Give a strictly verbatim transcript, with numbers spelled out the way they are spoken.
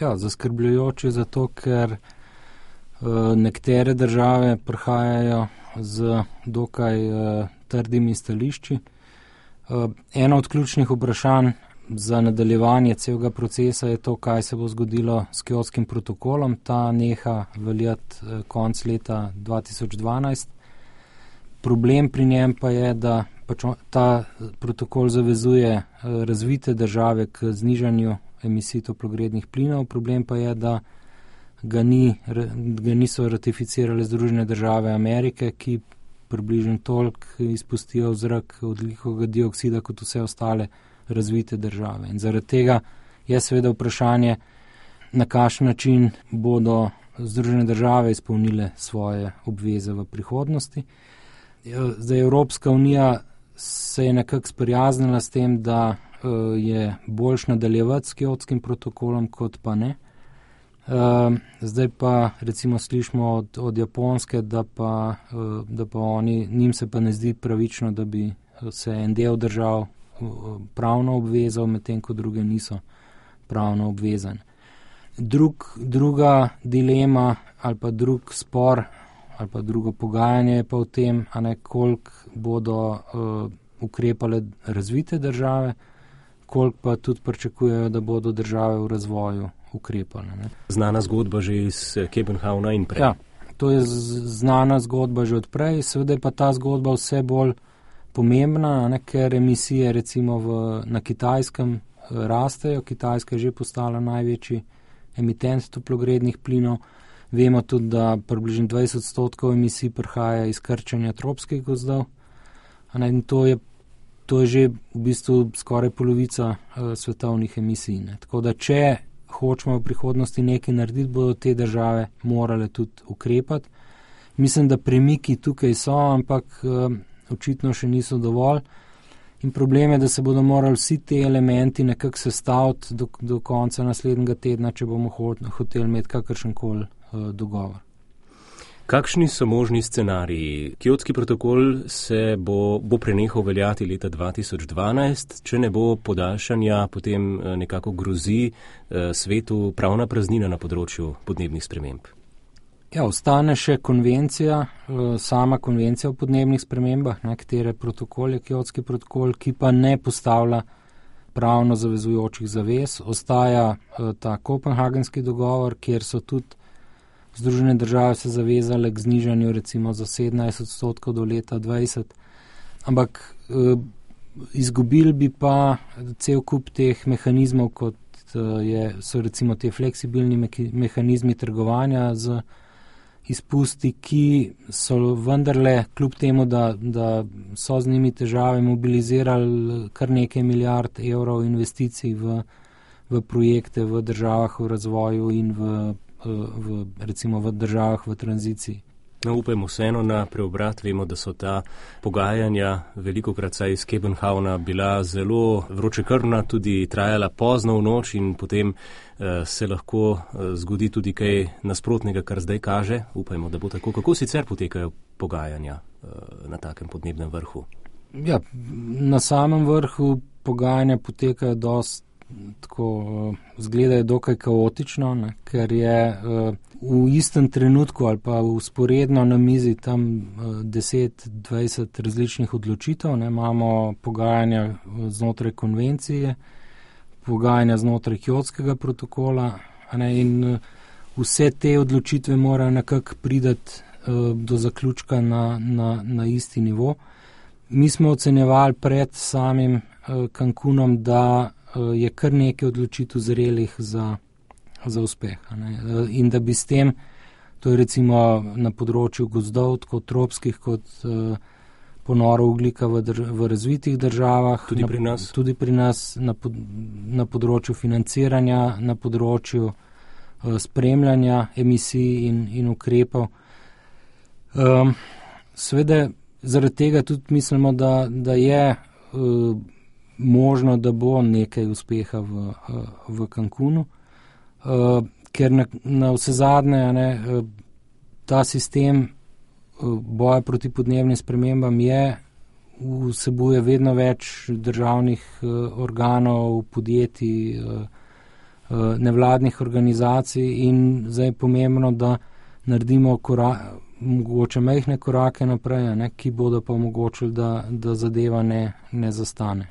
Ja, zaskrbljujoče zato, ker uh, nekatere države prihajajo z dokaj uh, trdimi stališči. Uh, eno od ključnih vprašanj za nadaljevanje celega procesa je to, kaj se bo zgodilo s Kjotskim protokolom. Ta neha veljati uh, konc leta dva tisoč dvanajst. Problem pri njem pa je, da pač ta protokol zavezuje uh, razvite države k znižanju emisij toplogrednih plinov. Problem pa je, da ga, ni, ga niso ratificirale Združene države Amerike, ki približno toliko izpustijo v zrak ogljikovega dioksida kot vse ostale razvite države. In zaradi tega je seveda vprašanje, na kakšen način bodo Združene države izpolnile svoje obveze v prihodnosti. Zdaj, Evropska unija se je nekako sprijaznila s tem, da je boljš nadaljevati s Kjotskim protokolom, kot pa ne. Zdaj pa recimo slišimo od, od Japonske, da pa, da pa oni, njim se pa ne zdi pravično, da bi se en del držav pravno obvezal, medtem ko druge niso pravno obvezane. Drug, druga dilema ali pa drug spor ali pa drugo pogajanje je pa v tem, a ne, koliko bodo uh, ukrepale razvite države, koliko pa tudi pričakujejo, da bodo države v razvoju ukrepale. Ne. Znana zgodba že iz Kopenhavna in prej. Ja, to je znana zgodba že odprej, seveda je pa ta zgodba vse bolj pomembna, ne, ker emisije recimo v, na Kitajskem rastejo. Kitajska je že postala največji emitent toplogrednih plinov. Vemo tudi, da približno dvajset odstotkov emisij prihaja iz krčenja tropskih gozdov. Ne, in to je To je že v bistvu skoraj polovica uh, svetovnih emisij. Ne. Tako da, če hočemo v prihodnosti nekaj narediti, bodo te države morale tudi ukrepati. Mislim, da premiki tukaj so, ampak uh, očitno še niso dovolj. In problem je, da se bodo morali vsi te elementi nekako sestaviti do, do konca naslednjega tedna, če bomo hoteli imeti kakršenkoli uh, dogovor. Kakšni so možni scenariji? Kjotski protokol se bo, bo prenehal veljati leta dva tisoč dvanajst, če ne bo podaljšanja, potem nekako grozi eh, svetu pravna praznina na področju podnebnih sprememb. Ja, ostane še konvencija, eh, sama konvencija o podnebnih spremembah, ne, katere protokol je Kjotski protokol, ki pa ne postavlja pravno zavezujočih zavez. Ostaja eh, ta kopenhagenski dogovor, kjer so tudi Združene države se zavezale k znižanju recimo za sedemnajst odstotkov do leta dvajset, ampak e, izgubili bi pa cel kup teh mehanizmov, kot je, so recimo te fleksibilni mehanizmi trgovanja z izpusti, ki so vendarle kljub temu, da, da so z njimi težave, mobilizirali kar nekaj milijard evrov investicij v, v projekte v državah v razvoju in v V, recimo v državah v tranziciji. No, upajmo vseeno na preobrat. Vemo, da so ta pogajanja velikokrat saj iz Kopenhavna bila zelo vročekrvna, tudi trajala pozno v noč in potem eh, se lahko eh, zgodi tudi kaj nasprotnega, kar zdaj kaže. Upajmo, da bo tako. Kako sicer potekajo pogajanja eh, na takem podnebnem vrhu? Ja, na samem vrhu pogajanja potekajo dost tako izgledajo dokaj kaotično, ne, ker je uh, v istem trenutku ali pa usporedno na mizi tam uh, deset dvajset različnih odločitev. Ne, imamo pogajanja znotraj konvencije, pogajanja znotraj Kjotskega protokola, ne, in uh, vse te odločitve morajo nekako priti uh, do zaključka na, na, na isti nivo. Mi smo ocenjevali pred samim uh, Cancunom, da je kar nekaj odločitev zrelih za, za uspeh. Ne? In da bi s tem, to je recimo na področju gozdov, tako tropskih kot uh, ponoro ugljika v, drž- v razvitih državah, tudi pri nas, na, tudi pri nas na, pod, na področju financiranja, na področju uh, spremljanja emisij in, in ukrepov. Um, Sveda zaradi tega tudi mislimo, da, da je uh, možno, da bo nekaj uspeha v, v Cancunu, uh, ker na, na vse zadnje ne, ta sistem uh, boja proti podnebnim spremembam je, vsebuje vedno več državnih uh, organov, podjetij, uh, nevladnih organizacij in zdaj je pomembno, da naredimo korak, mogoče majhne korake naprej, ne, ki bodo pa omogočili, da, da zadeva ne, ne zastane.